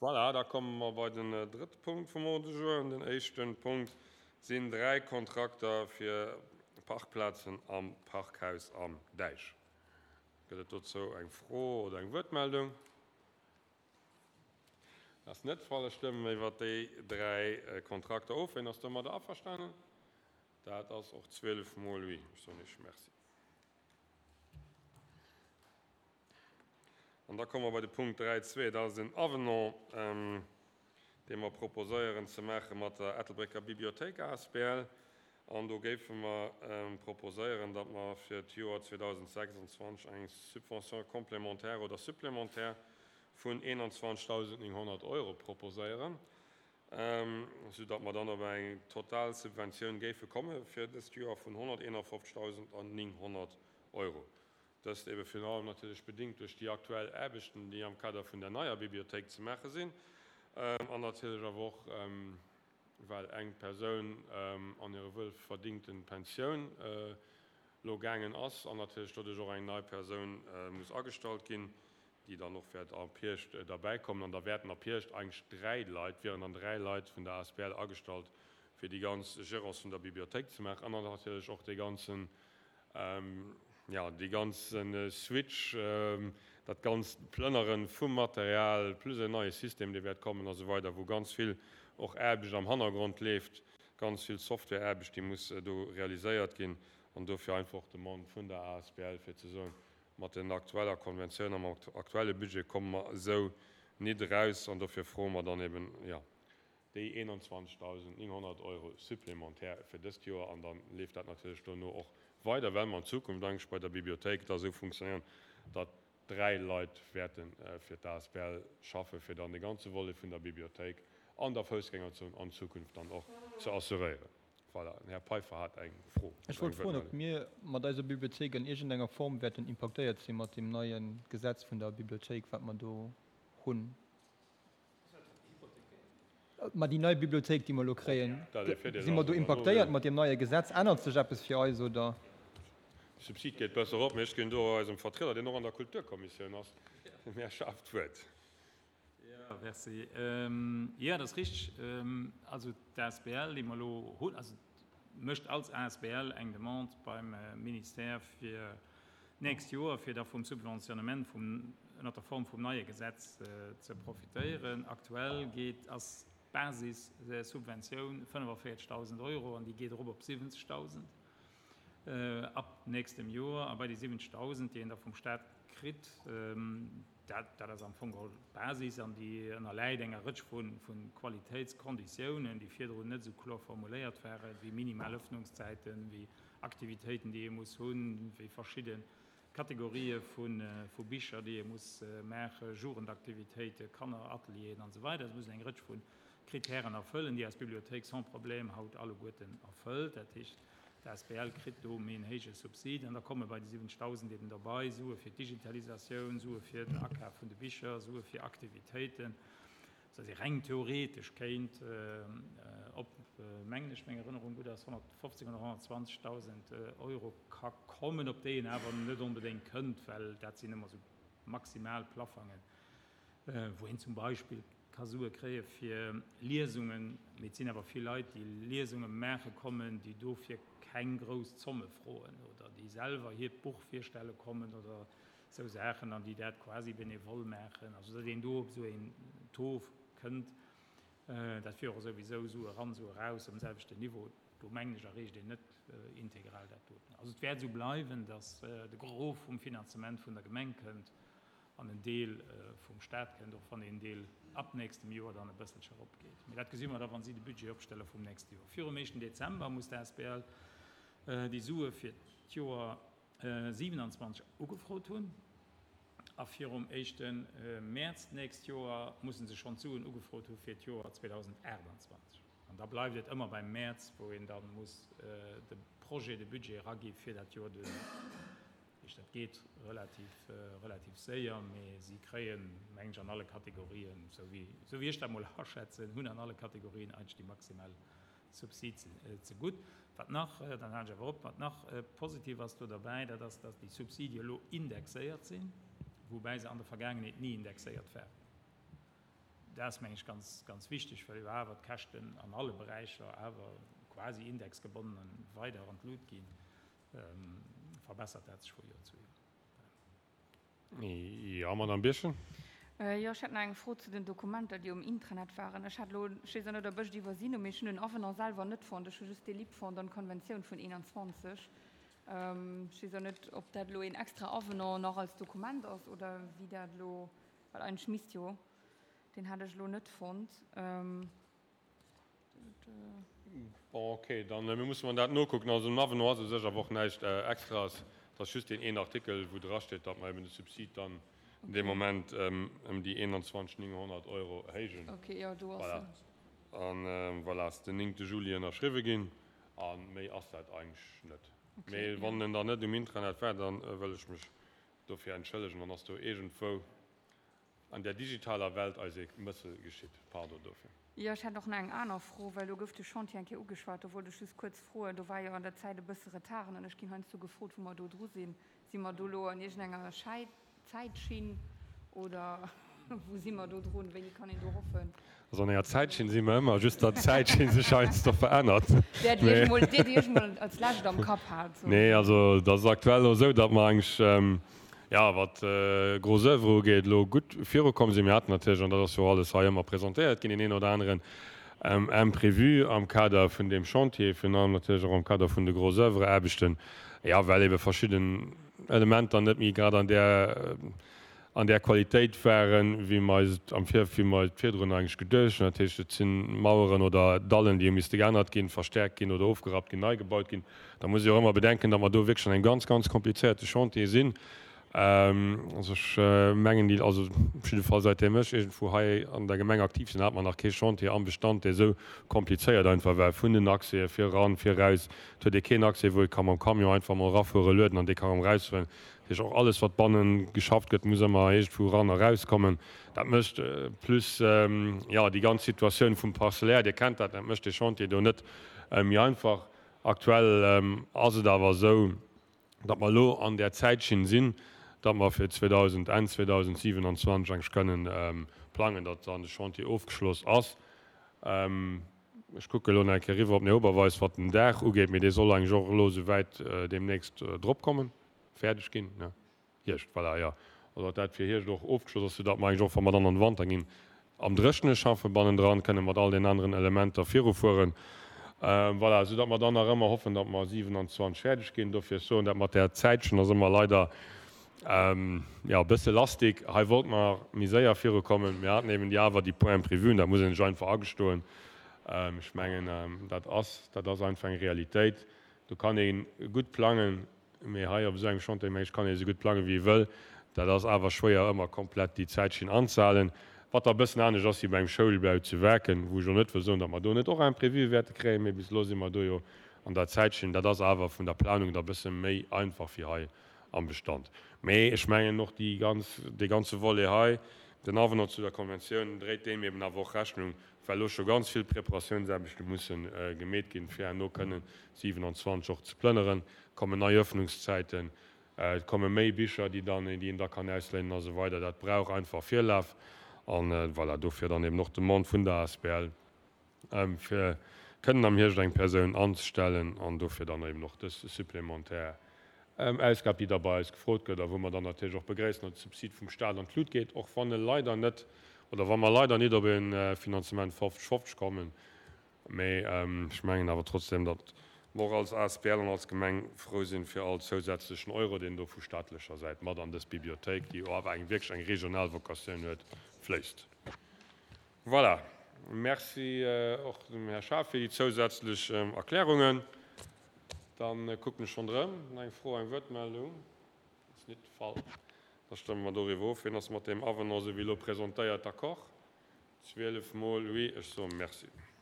Voilà, da komme mer bei den drëtte Punkt vum Ordre du jour. Den éischte Punkt sinn dräi Kontrakter fir Parkplazen am Parkhaus am Däich. Gëtt et dozou eng Fro oder eng Wuertmeldung? Dat ass net de Fall. Ech stëmmen iwwert déi dräi Kontrakter of. Wien ass domadder averstanen? Dat ass och 12 mol oui. Ech soen Iech Merci. An da komme mer bei de Punkt 3.2. Dat ass en Avenant, dee mer proposéieren ze maache mat der Ettelbrécker Bibliothéik asbl. An do géife mer proposéieren, datt mer fir d'Joer 2026 eng Subvention complémentaire oder supplémentaire vun 21.900 Euro proposéieren, soudatt mer dann op eng total Subventioun géife komme fir dëst Joer vun 151.900 Euro. Dëst ebe virun allem natierlech bedingt duerch déi aktuell Aarbechten, déi am Kader vun der neier Bibliothéik ze maache sinn, an natierlech awer och, well eng Persoun an hire wuelverdingte Pensioun elo gaangen ass an natierlech doduerch och eng nei Persoun muss agestallt ginn, déi dann och wäert ab Hierscht derbäikommen. An da wäerten ab Hierscht eigentlech dräi Leit, wieren dann dräi Leit vun der asbl agestallt, fir déi ganz Gérance vun der Bibliothéik ze maachen an dann natierlech och dee ganzen, jo, dee ganze Switch, dat ganzt Plënnere vum Material plus en neie System, dee wäert kommen a sou weider, wou ganz vill och Aarbecht am Hannergrond leeft, ganz vill Softwareaarbecht, déi muss do realiséiert ginn. An dofir einfach och d'Demande vun der asbl, fir ze soen, Mat den aktueller Konventioun a mam aktuelle Budget komme mer esou nit eraus an dofir froe mer dann eben, jo, déi 21.900 Euro supplémentaire fir dëst Joer an da leeft dat natierlech dono och weider, well mer an Zukunft eigentlech bei der Bibliothéik da esou funktionéieren, datt dräi Leit wäerte fir d'ASBL schaffen, fir dann de ganze Volet vun der Bibliothéik an der Foussgängerzon an Zukunft dann och ze assuréieren. Voilà, den Här Peiffer hat eng Fro. Ech wollt froen, ob mir mat eiser Bibliothéik an iergendenger Form wäerten impaktéiert si mat deem neie Gesetz vun der Bibliothéik, wat mer do hunn. Mä déi nei Bibliothéik, déi mer elo kréien, si mer do impaktéiert mat deem neie Gesetz? Ännert sech eppes fir eis, oder? De Subsid geet besser erop, mee ech ginn do eisem Vertrieder, deen och an der Kulturkommissioun ass, dem Här Schaaf, d'Wuert. Jo, merci. Jo, dat ass richteg. Also d'ASBL, déi mer elo hunn, also mécht als ASBL eng Demande beim Ministère fir d'nächst Joer, fir da vum Subventionnement vum, ënnert der Form vum neie Gesetz ze profitéieren. Aktuell geet, ass d'Basissubventioun 45.000 Euro an déi geet erop op 70.000 ab nächstem Joer. A bei déi 70.000, déi een da vum Stat kritt, Dat ass am Fong geholl d'Basis an déi ënnerläit enger Rëtsch vu Qualitéitskonditiounen, déi virdrun net esou kloer formuléiert waren, wéi minimal Öffnungszäiten, wéi Aktivitéiten, déi ee muss hunn, wéi verschidde Kategorië vu Bicher, déi ee muss maachen, Jugendaktivitéiten, Kanneratelieren an esou weider. Et muss een eng Rëtsch vu Kritären erfëllen, déi eis Bibliothéik sans problème haut alleguerten erfëllt. Dat heescht, D'asbl kritt do méi en héije Subsid an da komme bei déi 70.000 eben derbei Sue fir d'Digitalisatioun, Sue fir den Akaf vun de Bicher, Sue fir Aktivitéiten, soudass ee reng theoretesch kéint op, mengen ech, meng Erënnerung gutt ass, 150 oder 120.000 Euro ka kommen, op déi een awer net onbedéngt kënnt, well dat sinn ëmmer esou maximal Plaffangen. wou een zum Beispill ka Sue kréie fir Liesungen, mee et sinn awer vill Leit, déi Liesunge maache kommen, déi dofir keng grouss Zomme froen oder déi selwer hiert Buch virstelle kommen oder esou Saachen an déi dat quasi benevol maachen. Also datt een do op esou een Taux kënnt, dat wier och souwisou Sue eran, Sue eraus um selwechten Niveau. Do mengen ech erreecht een net integral dat doten. Also et wäert esou bleiwen, datt de Gros vum Finanzement vun der Gemeng kënnt an en Deel vum Stat kënnt, och wann een Deel ab nächstem Joer dann e bësselche eropgeet. Mee dat gesi mer da, wa si de Budget opstelle vum nächste Joer. Virum éischten Dezember muss d'ASBL déi Sue fir d'Joer 27 ugefrot hunn a virum éischte Mäerz d'nächst Joer musse se schonn d'Suen ugefrot hu fir d'Joer 2028. An da bleift et ëmmer beim Mäerz, wou een da muss de Projet de budget eragi fir dat Joer duerno. Dat geet relativ, relativ séier, mee si kréien, mengen ech, an alle Kategorien, esou wéi, esou wéi ech dat mol aschätzen, hunn an alle Kategorien eigentlech déi maximal Subsid zegutt. Wat nach, dann halen ech awer op, wat nach positiv ass do derbäi, dat ass, datt déi Subsidie elo indexéiert sinn, woubäi se an der Vergaangenheet ni indexéiert waren. Dat ass, meng ech, ganz, ganz wichteg, well jo awer d'Käschten an alle Beräicher awer quasi indexgebonnen weider an d'Lut ginn, verbessert dat sech vu Joer zu Joer. Jo, Madamm Birchen. Jo, ech hätt nach eng Fro zu den Dokumenter, déi um Intranet waren. Ech hat elo, ech weess och net, ob ech et iwwersinn hunn, mee ech hunn den Avenant selwer net fonnt. Ech hu just de LIP fonnt an d'Konventioun vun 21. Ech weess och net, ob dat elo een extra Avenant nach als Dokument ass oder wéi dat elo, well eigentlech misst jo, deen hat ech elo net fonnt. Bon, okay, dann mir musse mer dat nokucken. Also den Avenant ass u sech awer och näischt Extraes. Et ass just deen een Artikel, wou drasteet, datt mer eben de Subsid dann dee Moment ëm déi 21 900 Euro erhéijen. Okay, jo, do ass en. Voilà. An voilà, ass den 9 Juli ënnerschriwwe ginn. A méi ass dat eigentlech net. Mee wann en dann net um Intranet war, da wëll ech mech dofir entschëllegen. Dann ass do iergendwou an där digitaler Welt eis ee Mëssel geschitt. Pardon dofir. Jo, ech hätt och nach eng aner Fro, well do gouf de Chantier eng Kéier ugeschwat. Do wollt ech just kuerz froen, do war jo an der Zäit e bësse Retard an ech ginn heiansdo gefrot, wou mer do dru sinn. Si mer do elo an iergendenger Zäitschinn oder wou si mer do drun? Wéini kann een do hoffen? Also an enger Zäitschinn si mer ëmmer, just datt d'Zäitschinn sech heiansdo verännert. Där, déi ech emol, déi, déi ech emol als lescht am Kapp hat. Nee, also dat ass aktuell elo esou, datt mer eigentlech, jo, wat gros oeuvre ugeet, elo gutt virukomm sinn. Mir haten natierlech, an dat ass jo och alles hei ëmmer presentéiert ginn, deen een oder aneren Imprévu am Kader vun deem Chantier, virun allem natierlech och am Kader vun de gros oeuvre-Aarbechten, jo, well ebe verschidden Elementer net méi grad an där, an där Qualitéit waren, wéi mer eis et am Vir, wéi mer et virdrun eigentlech geduecht hunn. Dat heescht, et si Maueren oder Dallen, déi hu misste geännert ginn, verstärkt ginn oder ofgerappt ginn, nei gebaut ginn. Da muss ee och ëmmer bedenken, datt mer do wierklech an engem ganz, ganz komplizéierte Chantier sinn. Also ech mengen, déi, also op jidde Fall säitdeem ech iergendwou hei an der Gemeng aktiv sinn, hat mer nach kee Chantier am Bestand, dee esou komplizéiert einfach war, vun den Accèsen fir eran, fir eraus. Et huet ee keen Accès, wou ee ka mam Camion einfach mol erafuere, lueden an dee ka erëm erausfueren. Dat heescht, och alles, wat banne geschafft gëtt, muss ëmmer iergendwou eran a erauskommen. Dat mécht plus, jo, déi ganz Situatioun vum Parcellaire, Dir kennt dat, dat mécht dee Chantier do net méi einfach. Aktuell ass et awer esou, datt mer elo an där Zäitschinn sinn, datt mer fir 2000, Enn 2027 eigentlech kënnen plangen, datt dann de Chantier ofgeschloss ass. Ech kucke elo nach eng Kéier eriwwer op den Här Oberweis, wat den Daach ugeet, mee dee soll eigentlech och elo esouwäit deemnächst dropkommen, fäerdeg ginn, ne? Hierscht, voilà, jo. Also datt dat fir Hierscht och ofgeschloss ass, soudatt mer eigentlech och, wa mer dann an de Wanter ginn, am Dréchene schaffe bannendran, kënne mat all den aneren Elementer virufueren. Voilà, soudatt mer dann nach ëmmer hoffen, datt mer 27 fäerdeg ginn. Dofir, ech soen dat mat där Zäitchen ass ëmmer leider, jo, e bësse lastig. Hei wollte mer méi séier virukommen. Mir haten eben déi awer déi Points imprévus, dat muss een sech einfach agestoen. Ech mengen, dat ass, dat ass einfach eng Realitéit. Do kann ee gutt plangen, Mee hei op esou engem Chantier, mengen ech, kann ee esou gutt plangen, wéi ee wëll. Dat ass awer schwéier, ëmmer komplett déi Zäitschinn anzehalen. Wat da e bëssen anescht ass wéi bei engem Schoulbau zu Waarken, wou ech och net wëll soen, datt mer do net och Imprévue wäerte kréien, mee bis elo si mer do jo an der Zäitschinn. Dat ass awer vun der Planung da e bësse méi einfach wéi hei am Bestand. Mee ech mengen och déi ganz, dee ganze Volet hei, den Avenant zu der Konventioun, dréit deem eben awer och Rechnung, well elo scho ganz vill Preparatiounsaarbechte musse gemeet ginn, fir herno kënnen 27 och ze plënneren. kommen nei Öffnungszäiten, et komme méi Bicher, déi dann, déi een da kann ausléinen a sou weider. Dat brauch einfach Virlaf an voilà, dofir dann eben och d'Demande vun der asbl, fir kënnen am Hierscht eng Persoun anzestellen an dofir dann eben och dës supplémentaire Ausgab, déi da bei eis gefrot gëtt a wou mer dann natierlech och begréissen, datt de Subsid vum Stat an d'Lut geet, och wann e leider net, oder wa mer leider nit op e Finanzement 50, 50 kommen. Mee ech mengen awer trotzdem, datt mer och als asbl an als Gemeng frou sinn, fir all zousätzlechen Euro, deen do vu staatlecher Säit mat an dës Bibliothéik, déi jo awer eng wierklech eng regional Vocatioun huet, fléisst. Voilà. Merci och dem Här Schaaf fir déi zousätzlech Erklärungen. Da kucken ech ronderëm. Nach eng Fro, eng Wuertmeldung? Ass nit de Fall. Da stëmme mer doriwwer of. Wien ass mat deem Avenant, esou wéi elo presentéiert, d'accord? 12 mol oui. Ech soe Merci.